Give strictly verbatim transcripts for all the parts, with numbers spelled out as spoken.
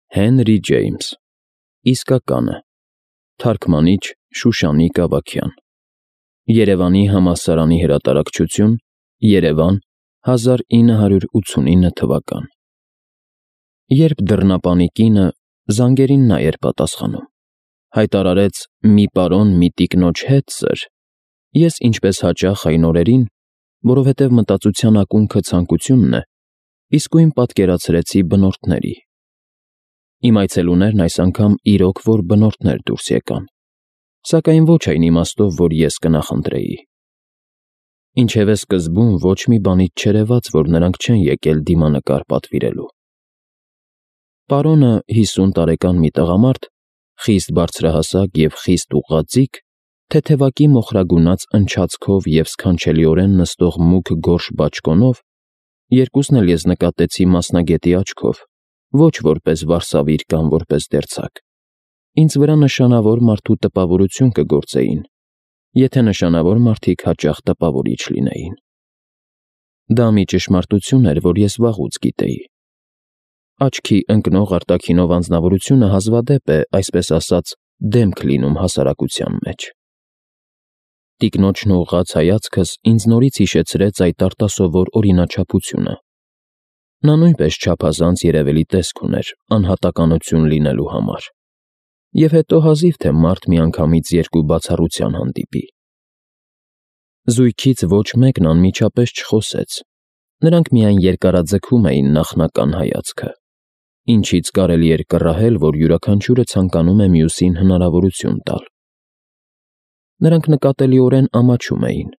Հենրի Ջեյմս, իսկականը, թարգմանիչ Շուշանիկ Ավագյան, Երևանի համալսարանի հրատարակչություն, Երևան, հազար ինը հարյուր ութսունինը թվական։ Երբ դռնապանի կինը զանգերին նա էր պատասխանում, հայտարարեց մի պարոն մի տիկնոջ հետ սր, ես ինչպես հաճախ այն օրերին, որովհետև մտածության ակունքը ցանկությունն է, իսկույն պատկերացրեցի բնորդների։ Իմ այցելուներն այս անգամ իրոք որ բնորդներ դուրս եկան, սակայն ոչ այն իմաստով, որ ես կնախընտրեի։ Ինչևէ սկզբում ոչ մի բանից չերևաց, որ նրանք չեն եկել դիմանկար պատվիրելու։ Պարոնը հիսուն տարեկան մի տղամարդ, խիստ բարձրահասակ և խիստ ուղղաձիգ, թեթևակի մոխրագունած ընչացքով և սքանչելիորեն նստող մուգ գորշ բաճկոնով, երկուսն էլ ես նկատեցի մասնագետի աչքով, ոչ որպես վարսավիր կամ որպես դերձակ, ինձ վրա նշանավոր մարդու տպավորություն կգործեին, եթե նշանավոր մարդիկ հաճախ տպավորիչ լինեին։ Դա մի ճշմարտություն էր, որ ես վաղուց գիտեի։ Աչքի ընկնող արտաքինով անձնավորությունը հազվադեպ է, այսպես ասած, դեմք լինում հասարակության մեջ։ Տիկնոջն ուղղած հայացքս ինձ նորից հիշեցրեց այդ արտասովոր օրինաչափությունը։ Նա նույնպես չափազանց երևելի տեսք ուներ անհատականություն լինելու համար, և հետո հազիվ թե մարդ միանգամից երկու բացառության հանդիպի։ Զույգից ոչ մեկն անմիջապես չխոսեց, նրանք միայն երկարաձգում էին նախնական հայացքը, ինչից կարելի էր կռահել, որ յուրաքանչյուրը ցանկանում է մյուսին հնարավորություն տալ։ Նրանք նկատելիորեն ամաչում էին,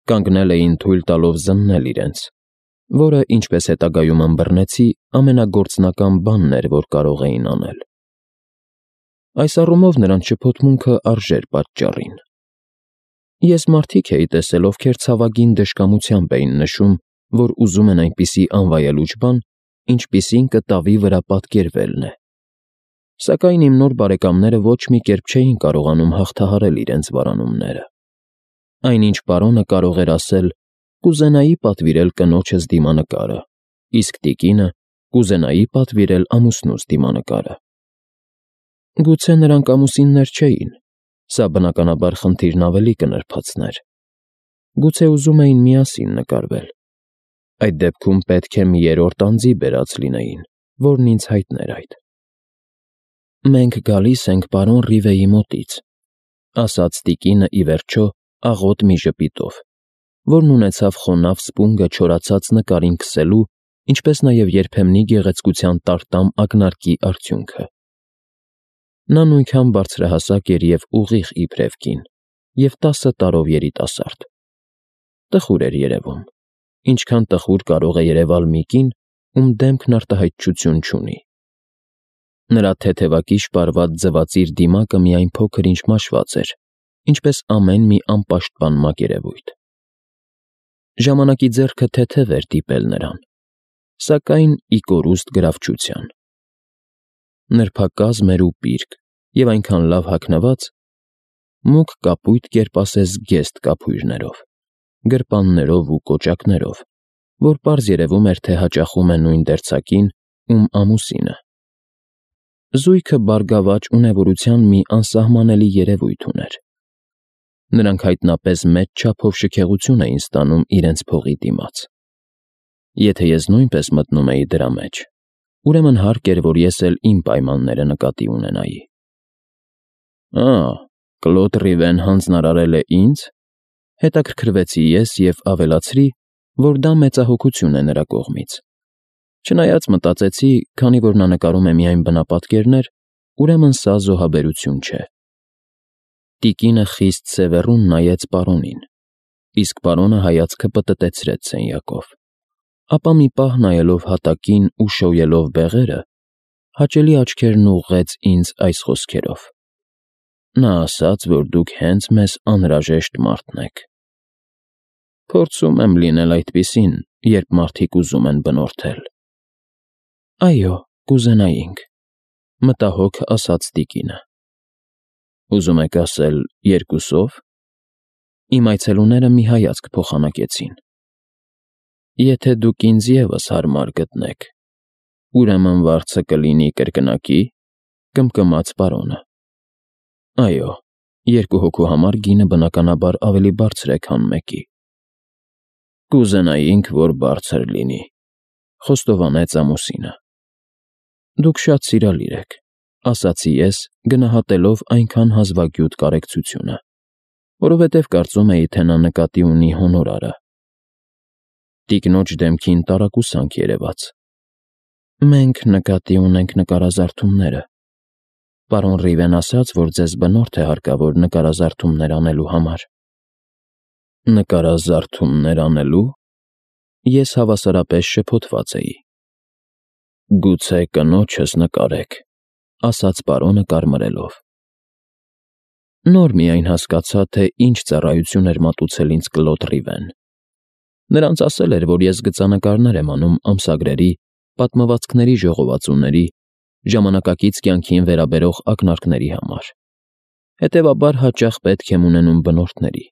կանգնել էին թույլ տալով զննել իրենց, որը, ինչպես հետագայում ըմբռնեցի, ամենագործնական բանն էր, որ կարող էին անել։ Այս առումով նրանց շփոթմունքը արժեր պատճառին։ Ես մարդիկ էի տեսել, ովքեր ցավագին դժկամությամբ էին նշում, որ ուզում են այնպիսի անվայելուչ բան, ինչպիսին կտավի վրա պատկերվելն է, սակայն իմ նոր բարեկամները ոչ մի կերպ չէին կարողանում հաղթահարել իրենց վարանումները։ Այնինչ պարոնը կարող էր ասել. «Կուզենայի պատվիրել կնոջս դիմանկարը», իսկ տիկինը կուզենայի պատվիրել ամուսնուս դիմանկարը։ Գուցե նրանք ամուսիններ չէին, սա բնականաբար խնդիրն ավելի կնրբացներ։ Գուցե ուզում էին միասին նկարվել։ Այդ դեպքում պետք է մի երրորդ անձի բերած լինեին, որն ինձ հայտներ այդ։ «Մենք գալիս ենք պարոն Ռիվեի մոտից», ասաց տիկինը ի վերջո աղոտ մի ժպիտով, որն ունեցավ խոնավ սպունգը չորացած նկարին քսելու, ինչպես նաև երբեմնի գեղեցկության տարտամ ակնարկի արդյունքը։ Նա նույնքան բարձրահասակ էր և ուղիղ իբրև կին, և տասը տարով երիտասարդ։ Տխուր էր երևում, ինչքան տխուր կարող է երևալ մի կին, ում դեմքն արտահայտչություն չունի։ Նրա թեթևակի շպարված ձվածիր դիմակը միայն փոքր-ինչ մաշված էր, ինչպես ամեն մի անպաշտպան մակերևույթ։ Ժամանակի ձեռքը թեթև էր դիպել նրան, սակայն ի կորուստ գրավչության։ Նրբակազմ էր ու պիրկ և այնքան լավ հագնված, մուգ կապույտ կերպ ասես գեստ կափույրներով, գրպաններով ու կոճակներով, որ պարզ երևում էր, թե հաճախում է նույն դերձակին, ում ամուսինը։ Զույգը բարգավաճ ունևորության մի անսահմանելի երևույթ ուներ։ Նրանք հայտնապես մեծ չափով շքեղություն էին ստանում իրենց փողի դիմաց։ Եթե ես նույնպես մտնում էի դրա մեջ, ուրեմն հարկ էր, որ ես էլ իմ պայմանները նկատի ունենայի։ «Ա, Կլոդ Ռիվեն հանձնարարել է ինձ», հետաքրքրվեցի ես և ավելացրի, որ դա մեծահոգություն է նրա կողմից։ Չնայած մտածեցի, քանի որ նա նկարում է միայն բնապատկերներ, ուրեմն սա զոհաբերություն չէ։ Տիկինը խիստ սևեռուն նայեց պարոնին, իսկ պարոնը հայացքը պտտեցրեց սենյակով, ապա մի պահ նայելով հատակին ու շոյելով բեղերը, հաճելի աչքերն ուղղեց ինձ այս խոսքերով. «Նա ասաց, որ դուք հենց մեզ անհրաժեշտ մարդն եք։ Փորձում եմ լինել այդպիսին, երբ մարդիկ ուզում են բնորդել»։ «Այո, կուզենայինք», մտահոգ ասաց տիկինը։ «Ուզում եք ասել երկուսով»։ Իմ այցելուները մի հայացք փոխանակեցին։ «Եթե դուք ինձ ևս հարմար գտնեք», Ուրեմն վարձը կլինի կրկնակի, կմկմաց պարոնը։ Այո, երկու հոգու համար գինը բնականաբար ավելի բարձր է, քան մեկի։ Կուզենայինք, որ բարձր լինի, խոստովանեց ամուսինը։ Դուք շատ սիրալիր եք, ասացի ես, գնահատելով այնքան հազվագյուտ կարեկցությունը, որովհետև կարծում էի, թե նա նկատի ունի հոնորարը։ Տիկնոջ դեմքին տարակուսանք երևաց։ Մենք նկատի ունենք նկարազարդումները։ Պարոն Ռիվեն ասաց, որ ձեզ բնորդ է հարկավոր նկարազարդումներ անելու համար։ Նկարազարդումներ անելու։ Ես հավասարապես շփոթված էի։ Գուցե կնոջս նկարեք, ասաց պարոնը կարմրելով։ Նոր միայն հասկացա, թե ինչ ծառայություն էր մատուցել ինձ Կլոդ Ռիվեն։ Նրանց ասել էր, որ ես գծանկարներ եմ անում ամսագրերի, պատմվածքների ժողովածուների, ժամանակակից կյանքին վերաբերող ակնարկների համար։ Հետևաբար հաճախ պետք եմ ունենում բնորդների։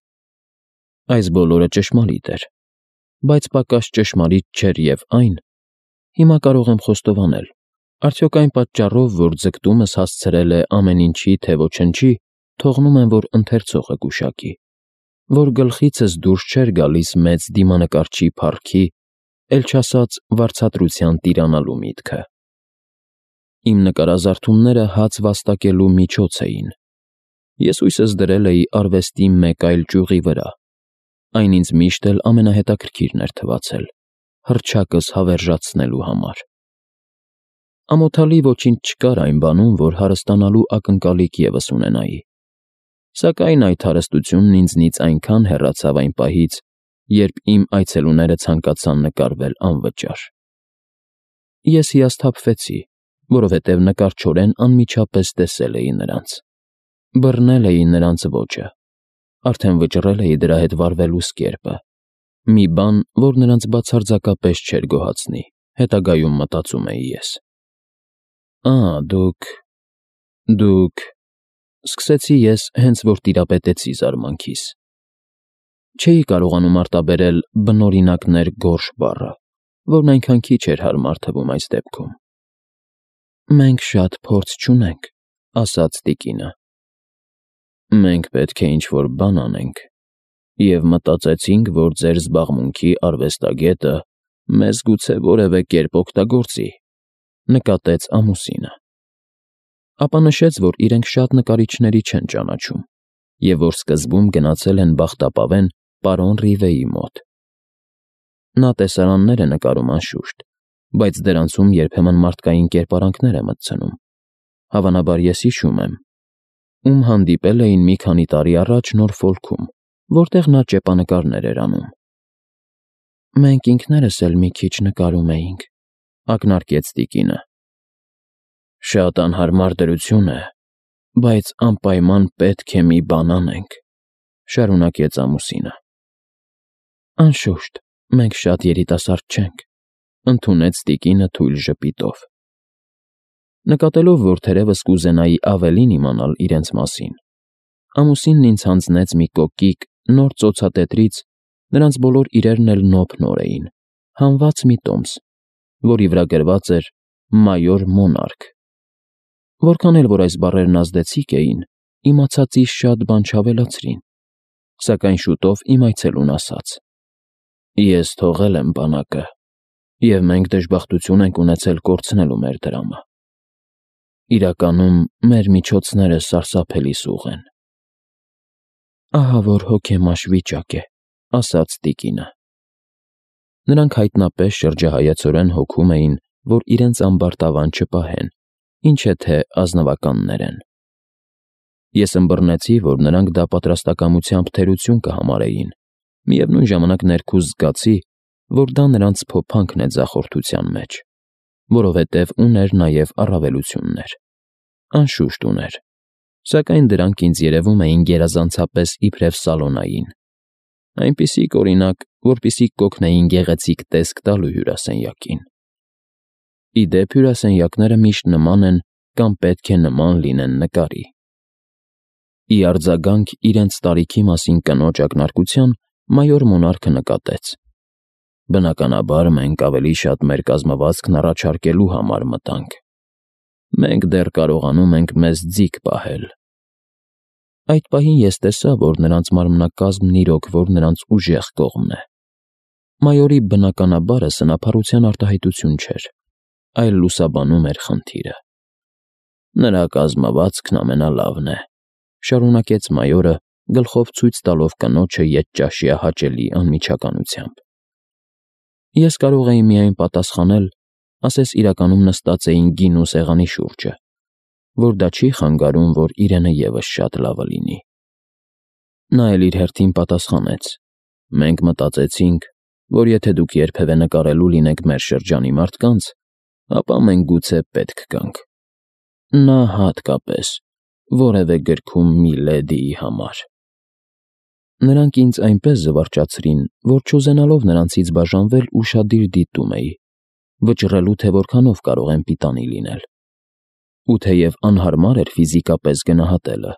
Այս բոլորը ճշմարիտ էր, բայց պակաս ճշմարիտ չէր և այն, հիմա կարող եմ խոստովանել, արդյոք այն պատճառով, որ ձգտումս հասցրել է ամեն ինչի, թե ոչնչի, թողնում եմ, որ ընթերցողը գուշակի, որ գլխիցս դուրս չէր գալիս մեծ դիմանկարչի փառքի, էլ չասած վարձատրության տիրանալու միտքը։ Իմ նկարազարդումները հաց վաստակելու միջոց էին։ Ես հույսս դրել էի արվեստի մեկ այլ ճյուղի վրա, այն ինձ միշտ էլ ամենահետաքրքիրն էր թվացել, հռչակս հավերժացնելու համար։ Ամոթալի ոչինչ չկար այն բանում, որ հարստանալու ակնկալիք ևս ունենայի, սակայն այդ հարստությունն ինձնից այնքան հեռացավ այն պահից, երբ իմ այցելուները ցանկացան նկարվել անվճար։ Ես հիասթափվեցի, որովհետև նկարչորեն անմիջապես տեսել էի նրանց, բռնել էի նրանց ոճը, արդեն վճռել էի դրա հետ վարվելու սկերպը, մի բան, որ նրանց բացարձակապես չէր գոհացնի, հետագայում մտածում էի ես։ Ա, դուք… դուք… Սկսեցի ես, հենց որ տիրապետեցի զարմանքիս։ Չէի կարողանում արտաբերել բնօրինակներ գորշ բառը, որն այնքան քիչ էր հարմար թվում այս դեպքում։ Մենք շատ փորձ չունենք, ասաց տիկինը։ Մենք պետք է ինչ-որ բան անենք, և մտածեցինք, որ ձեր զբաղմունքի արվեստագետը մեզ գուցե որևէ կերպ օգտագործի, նկատեց ամուսինը։ Ապա նշեց, որ իրենք շատ նկարիչների չեն ճանաչում, և որ սկզբում գնացել են բախտապավեն պարոն Ռիվեի մոտ։ Նա տեսարաններ է նկարում անշուշտ, բայց դրանցում երբեմն մարդկային կերպարանքներ է մտցնում։ Հավանաբար ես հիշում եմ, ում հանդիպել էին մի քանի տարի առաջ Նորֆոլքում, որտեղ նա ճեպանկարներ էր անում։ Մենք ինքներս էլ մի քիչ նկարում էինք, ակնարկեց տիկինը։ Շատ անհարմար դրություն է, բայց անպայման պետք է մի բան անենք, շարունակեց ամուսինը։ Անշուշտ, մենք շատ երիտասարդ չենք, ընդունեց տիկինը թույլ ժպիտով։ Նկատելով, որ թերևս կուզենայի ավելին իմանալ իրենց մասին, ամուսինն ինձ հանձնեց մի կոկիկ նոր ծոցատետրից, նրանց բոլոր իրերն էլ նոփ-նոր էին, հանված մի տոմս, որի վրա գրված էր «Մայոր Մոնարք»։ Որքան էլ որ այս բառերն ազդեցիկ էին, իմացածիս շատ բան չավելացրին, սակայն շուտով իմ այցելուն ասաց. Ես թողել եմ բանակը, և մենք դժբախտություն ենք ունեցել կորցնելու մեր դրամը։ Իրականում մեր միջոցները սարսափելի սուղ են։ Ահա որ հոգեմաշ վիճակ է, ասաց տիկինը։ Նրանք հայտնապես շրջահայացորեն հոգում էին, որ իրենց ամբարտավան չպահեն, ինչ է թե ազնվականներ են։ Ես ըմբռնեցի, որ նրանք դա պատրաստակամությամբ թերություն կհամարեին, միևնույն ժամանակ ներքուզ զգացի, որ դա նրանց փոփանքն է ձախորդության մեջ, որովհետև ուներ նաև առավելություններ։ Անշուշտ ուներ, սակայն դրանք ինձ երևում էին գերազանցապես իբրև սալոնային, այնպիսիք, օրինակ, որպիսիք կօգնեին գեղեցիկ տեսք տալու հյուրասենյակին։ Ի դեպ, հյուրասենյակները միշտ նման են կամ պետք է նման լինեն նկարի։ Ի արձագանք իրենց տարիքի մասին կնոջ ակնարկության, մայոր Մոնարքը նկատեց. Բնականաբար մենք ավելի շատ մեր կազմվածքն առաջարկելու համար մտանք։ Մենք դեռ կարողանում ենք մեզ ձիգ պահել։ Այդ պահին ես տեսա, որ նրանց մարմնակազմն իրոք որ նրանց ուժեղ կողմն է։ Մայորի բնականաբարը սնափառության արտահայտություն չէր, այլ լուսաբանում էր խնդիրը։ Նրա կազմվածքն ամենալավն է, շարունակեց մայորը, գլխով ցույց տալով կնոջը ետճաշյա հաճելի անմիջականությամբ։ Ես կարող էի միայն պատասխանել, ասես իրականում նստած էին գինու սեղանի շուրջը, որ դա չի խանգարում, որ իրենը ևս շատ լավը լինի։ Նա էլ իր հերթին պատասխանեց. մենք մտածեցինք, որ եթե դուք երբևէ նկարելու լինեք մեր շրջանի մարդկանց, ապա մենք գուցե պետք գանք։ Նա հատկապես որևէ գրքում մի լեդիի համար։ Նրանք ինձ այնպես զվարճացրին, որ չուզենալով նրանցից բաժանվել ուշադիր դիտում էի, վճռելու, թե որքանով կարող եմ պիտանի լինել։ Ու թեև անհարմար էր ֆիզիկապես գնահատելը,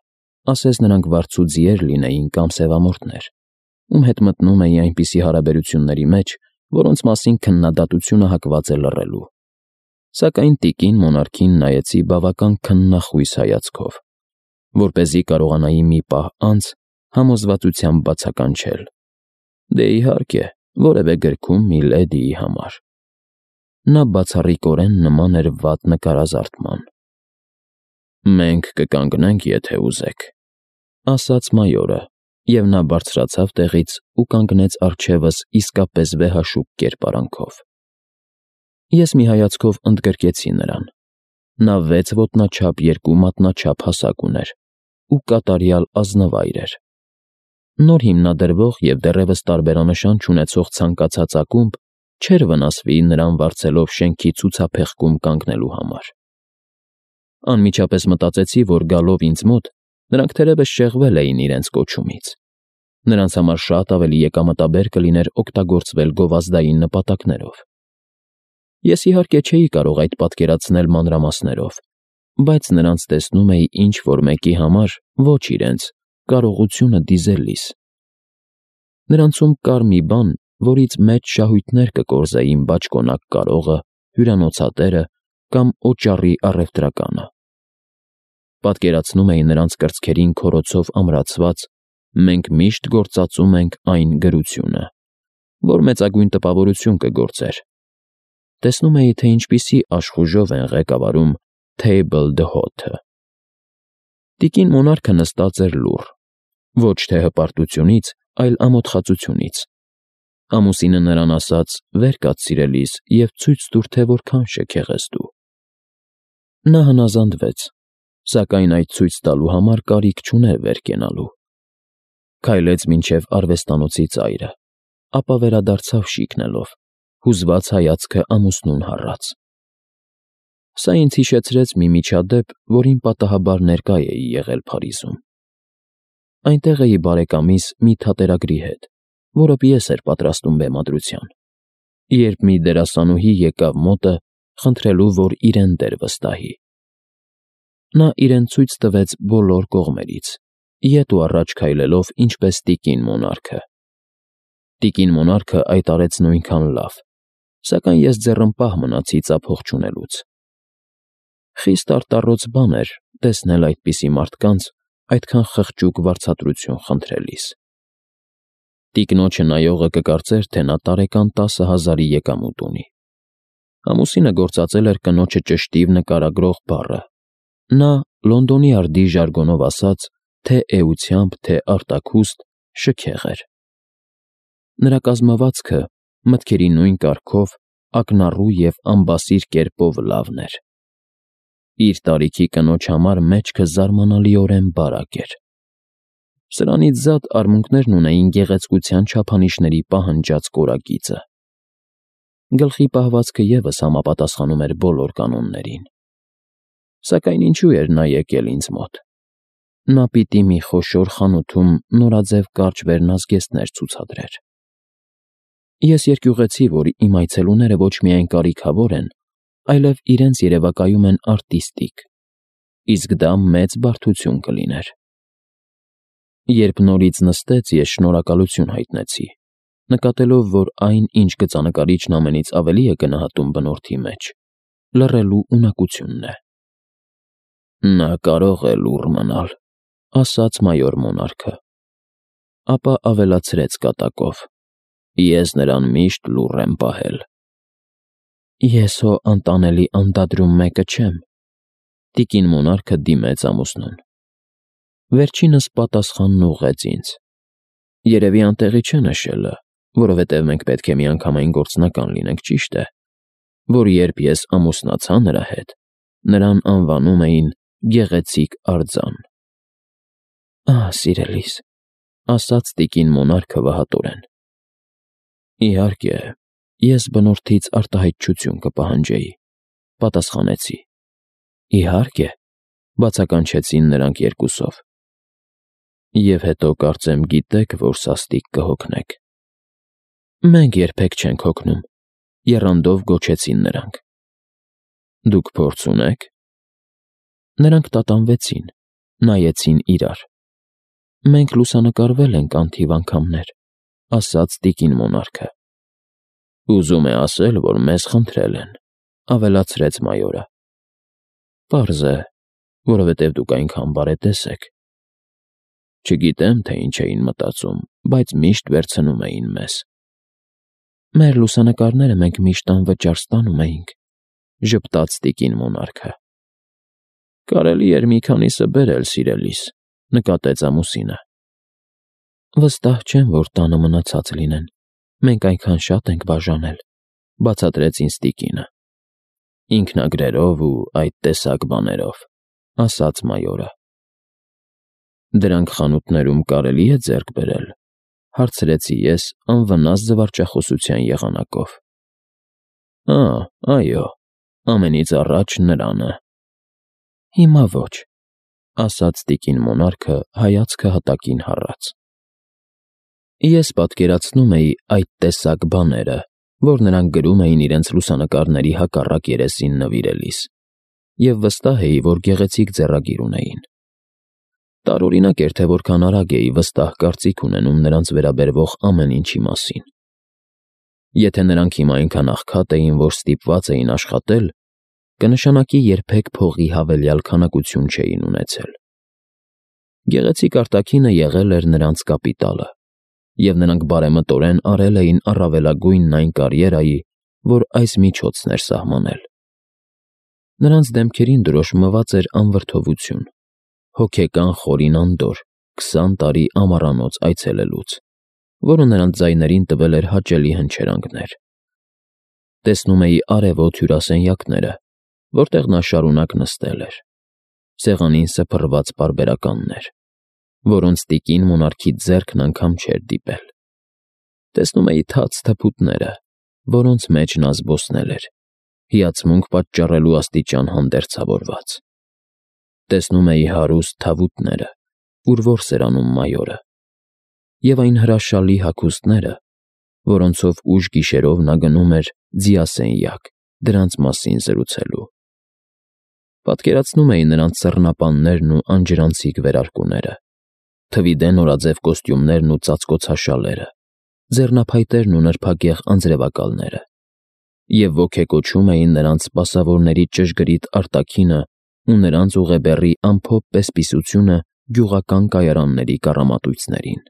ասես նրանք վարձուձիեր լինեին կամ սևամորթներ, ում հետ մտնում էի այնպիսի հարաբերությունների մեջ, որոնց մասին քննադատությունը հակված է լռելու։ Սակայն տիկին մոնարքին նայեցի բավական քննախույս հայացքով, որպեսզի կարողանայի մի պահ անց համոզվածությամբ բացականչել. դե իհարկե, որևէ գրքում մի լեդիի համար։ Նա բացառիկորեն նման էր վատ նկարազարդման։ Մենք կկանգնենք, եթե ուզեք, ասաց մայորը, և նա բարձրացավ տեղից ու կանգնեց առջևս իսկապես վեհաշուկ կերպարանքով։ Ես մի հայացքով ընդգրկեցի նրան։ Նա վեց ոտնաչափ երկու մատնաչափ հասակ ուներ ու կատարյալ ազնվայր էր։ Նոր հիմնադրվող և դեռևս տարբերանշան չունեցող ցանկացած ակումբ չէր վնասվի նրան վարձելով շենքի ցուցափեղկում կանգնելու համար։ Անմիջապես մտածեցի, որ գալով ինձ մոտ, նրանք թերևս շեղվել էին իրենց կոչումից։ Նրանց համար շատ ավելի եկամտաբեր կլիներ օգտագործվել գովազդային նպատակներով։ Ես իհարկե չէի կարող այդ պատկերացնել մանրամասներով, բայց նրանց տեսնում էի ինչ-որ մեկի համար, ոչ իրենց, կարողությունը դիզելիս։ Նրանցում կար մի բան, որից մեծ շահույթներ կկորզեին բաճկոնակ կարողը, հյուրանոցատերը կամ օճառի առևտրականը։ Պատկերացնում էի նրանց կրծքերին քորոցով ամրացված «Մենք միշտ գործածում ենք այն» գրությունը, որ մեծագույն տպավորություն կգործեր։ Տեսնում էի, թե ինչպիսի աշխուժով են ղեկավարում Table D'Hote-ը։ Տիկին մոնարքը նստած էր լուռ, ոչ թե հպարտությունից, այլ ամոթխածությունից։ Ամուսինը նրան ասաց. «Վեր կաց, սիրելիս, և ցույց տուր, թե որքան շքեղ ես դու»։ Նա հնազանդվեց, սակայն այդ ցույց տալու համար կարիք չուներ վեր կենալու։ Քայլեց մինչև արվեստանոցի ծայրը, ապա վերադարձավ շիկնելով, հուզված հայացքը ամուսնուն հառած։ Սա ինձ հիշեցրեց մի միջադեպ, որին պատահաբար ներկա էի եղել Փարիզում։ Այնտեղ էի բարեկամիս մի թատերագրի հետ, որը պիես էր պատրաստում բեմադրության, երբ մի դերասանուհի եկավ մոտը, խնդրելու, որ իրեն դեր վստահի։ Նա իրեն ցույց տվեց բոլոր կողմերից, ետ ու առաջ քայլելով ինչպես տիկին մոնարքը։ Տիկին մոնարքը այդ արեց նույնքան լավ, սակայն ես ձեռնպահ մնացի ծափող չունելուց։ Խիստ արտառոց բան էր տեսնել այդպիսի մարդկանց այդքան խղճուկ վարձատրություն խնդրելիս։ Տիկնոջը նայողը կկարծեր, թե նա տարեկան տասը հազարի եկամուտ ունի։ Ամուսինը գործածել էր կնոջը ճշտիվ նկարագրող բառը։ Նա, Լոնդոնի արդի ժարգոնով ասած, թե էությամբ, թե արտաքուստ, շքեղ էր։ Նրա կազմվածքը մտքերի նույն կարգով, ակնառու և ամբասիր կերպով լավն էր։ Իր տարիքի կնոջ համար մեջքը զարմանալիորեն բարակ էր։ Սրանից զատ արմունկներն ունեին գեղեցկության չափանիշների պահանջած կորագիծը։ Գլխի պահվածքը ևս համապատասխանում էր բոլոր կանոններին։ Սակայն ինչու էր նա եկել ինձ մոտ։ Նա պիտի մի խոշոր խանութում նորաձև կարճ վերնազգեստներ ցուցադրեր։ Ես երկյուղեցի, որ իմ այցելուները ոչ միայն կարիքավոր են, այլև իրենց երևակայում են արտիստիկ, իսկ դա մեծ բարդություն կլիներ։ Երբ նորից նստեց, ես շնորհակալություն հայտնեցի, նկատելով, որ այն, ինչ գծանկարիչն ամենից ավելի է գնահատում բնորդի մեջ, լռելու ունակությունն է։ Նա կարող է լուռ մնալ, ասաց մայոր Մոնարքը, ապա ավելացրեց կատակով. Ես նրան միշտ լուռ եմ պահել։ Ես հո անտանելի անդադրում մեկը չեմ, տիկին Մոնարքը դիմեց ամուսնուն։ Վերջինս պատասխանն ուղղեց ինձ. Երևի անտեղի չէ նշելը, որովհետև մենք պետք է միանգամայն գործնական լինենք, ճիշտ է, որ երբ ես ամուսնացա նրա հետ, նրան անվանում էին գեղեցիկ արձան։ Ահ, սիրելիս, ասաց տիկին Մոնարքը վհատորեն։ Իհարկե, ես բնորդից արտահայտչություն կպահանջեի, պատասխանեցի։ Իհարկե, բացականչեցին նրանք երկուսով։ Եվ հետո կարծեմ գիտեք, որ սաստիկ կհոգնեք։ Մենք երբեք չենք հոգնում, եռանդով գոչեցին նրանք։ Դուք փորձ ունեք։ Նրանք տատանվեցին, նայեցին իրար։ Մենք լուսանկարվել ենք անթիվ անգամներ, ասաց տիկին Մոնարքը։ Ուզում է ասել, որ մեզ խնդրել են, ավելացրեց մայորը։ Պարզ է, որովհետև դուք այնքան բարետես եք։ Չգիտեմ, թե ինչ էին մտածում, բայց միշտ վերցնում էին մեզ։ Մեր լուսանկարները մենք միշտ անվճար ստանում էինք, ժպտաց տիկին Մոնարքը։ Կարելի էր մի քանիսը բերել, սիրելիս, նկատեց ամուսինը։ Վստահ չեմ, որ տանը մնացած լինեն, մենք այնքան շատ ենք բաժանել, բացատրեց ինձ տիկինը։ Ինքնագրերով ու այդ տեսակ բաներով, ասաց մայորը։ Դրանք խանութներում կարելի է ձեռք բերել, հարցրեցի ես անվնաս զվարճախոսության եղանակով։ Ա, այո, ամենից առաջ նրանը։ Հիմա ոչ, ասաց տիկին Մոնարքը հայացքը հատակին հառած։ Ես պատկերացնում էի այդ տեսակ բաները, որ նրանք գրում էին իրենց լուսանկարների հակառակ երեսին նվիրելիս, և վստահ էի, որ գեղեցիկ ձեռագիր ունեին։ Տարօրինակ էր, թե որքան արագ էի վստահ կարծիք ունենում նրանց վերաբերվող ամեն ինչի մասին։ Եթե նրանք հիմա այնքան աղքատ էին, որ ստիպված էին աշխատել, կնշանակի երբեք փողի հավելյալ քանակություն չէին ունեցել։ Գեղեցիկ արտաքինը եղել էր նրանց կապիտալը, և նրանք բարեմտորեն արել էին առավելագույնն այն կարիերայի, որ այս միջոցն էր սահմանել։ Նրանց դեմքերին դրոշմված էր անվրդովություն, հոգեկան խորին անդորր քսան տարի ամառանոց այցելելուց, որը նրանց ձայներին տվել էր հաճելի հնչերանգներ։ Տեսնում էի արևոտ հյուրասենյակները, որտեղ նա շարունակ նստել էր, սեղանին սփռված պարբերականներ, որոնց տիկին Մոնարքի ձեռքն անգամ չէր դիպել։ Տեսնում էի թաց թփուտները, որոնց մեջ նա զբոսնել էր, հիացմունք պատճառելու աստիճան հանդերձավորված։ Տեսնում էի հարուստ թավուտները, ուր որս էր անում մայորը, և այն հրաշալի հագուստները, որոնցով ուշ գիշերով նա գնում էր ձիասենյակ դրանց մասին զրուցելու։ Պատկերացնում էի նրանց սեռնապաններն ու անջրանցիկ վերարկուները, թվիդե նորաձև կոստյումներն ու ծածկոցաշալերը, ձեռնափայտերն ու նրբագեղ անձրևակալները, և ոգեկոչում էին նրանց սպասավորների ճշգրիտ արտաքինը ու նրանց ուղեբեռի ամփոփ պես֊պիսությունը գյուղական կայարանների կառամատույցներին։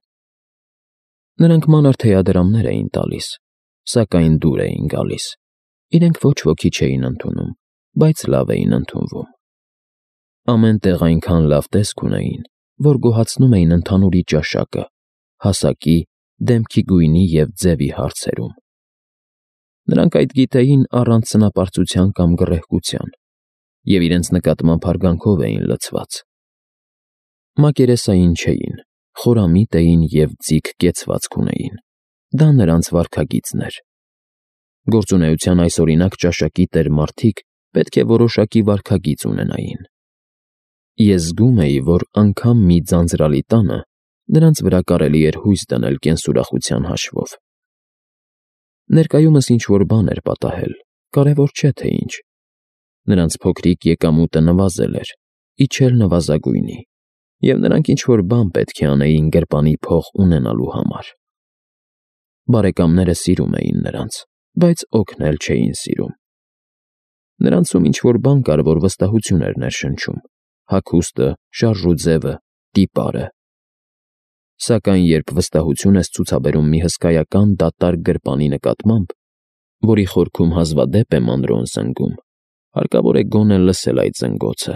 Նրանք մանր թեյադրամներ էին տալիս, սակայն դուր էին գալիս, իրենք ոչ ոքի չէին ընդունում, բայց լավ էին ընդունվում։ Ամեն տեղ այնքան լավ տեսք ունեին, որ գոհացնում էին ընդհանուրի ճաշակը, հասակի, դեմքի գույնի և ձևի հարցերում։ Նրանք այդ գիտեին առանց սնապարծության կամ գռեհկության, և իրենց նկատմամբ հարգանքով էին լցված։ Մակերեսային չէին, խորամիտ էին և ձիգ կեցվածք ունեին, դա նրանց վարքագիծն էր։ Գործունեության այսօրինակ ճաշակի տեր մարդիկ պետք է որոշակի վարքագիծ ունենային։ Ես զգում էի, որ անգամ մի ձանձրալի տանը նրանց վրա կարելի էր հույս դնել կենսուրախության հաշվով։ Ներկայումս ինչ-որ բան էր պատահել, կարևոր չէ թե ինչ։ Նրանց փոքրիկ եկամուտը նվազել էր, իջել նվազագույնի, և նրանք ինչ-որ բան պետք է անեին գրպանի փող ունենալու համար։ Բարեկամները սիրում էին նրանց, բայց օգնել չէին սիրում։ Նրանցում ինչ-որ բան կար, որ վստահություն էր ներշնչում՝ հագուստը, շարժուձևը, տիպարը։ Սակայն երբ վստահություն ես ցուցաբերում մի հսկայական դատարկ գրպանի նկատմամբ, որի խորքում հազվադեպ է մանրոն զնգում, հարկավոր է գոնե լսել այդ զնգոցը։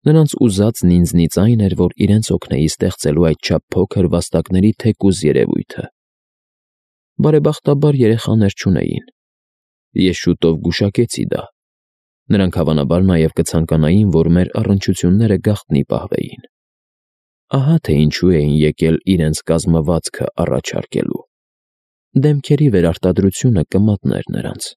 Նրանց ուզածն ինձնից այն էր, որ իրենց օգնեի ստեղծելու այդչափ փոքր վաստակների թեկուզ երևույթը։ Բարեբախտաբար երեխաներ չունեին։ Ես շուտով գուշակեցի դա։ Նրանք հավանաբար նաև կցանկանային, որ մեր առնչությունները գաղտնի պահվեին։ Ահա թե ինչու էին եկել իրենց կազմվածքը առաջարկելու։ Դեմքերի վերարտադրությունը կմատներ նրանց։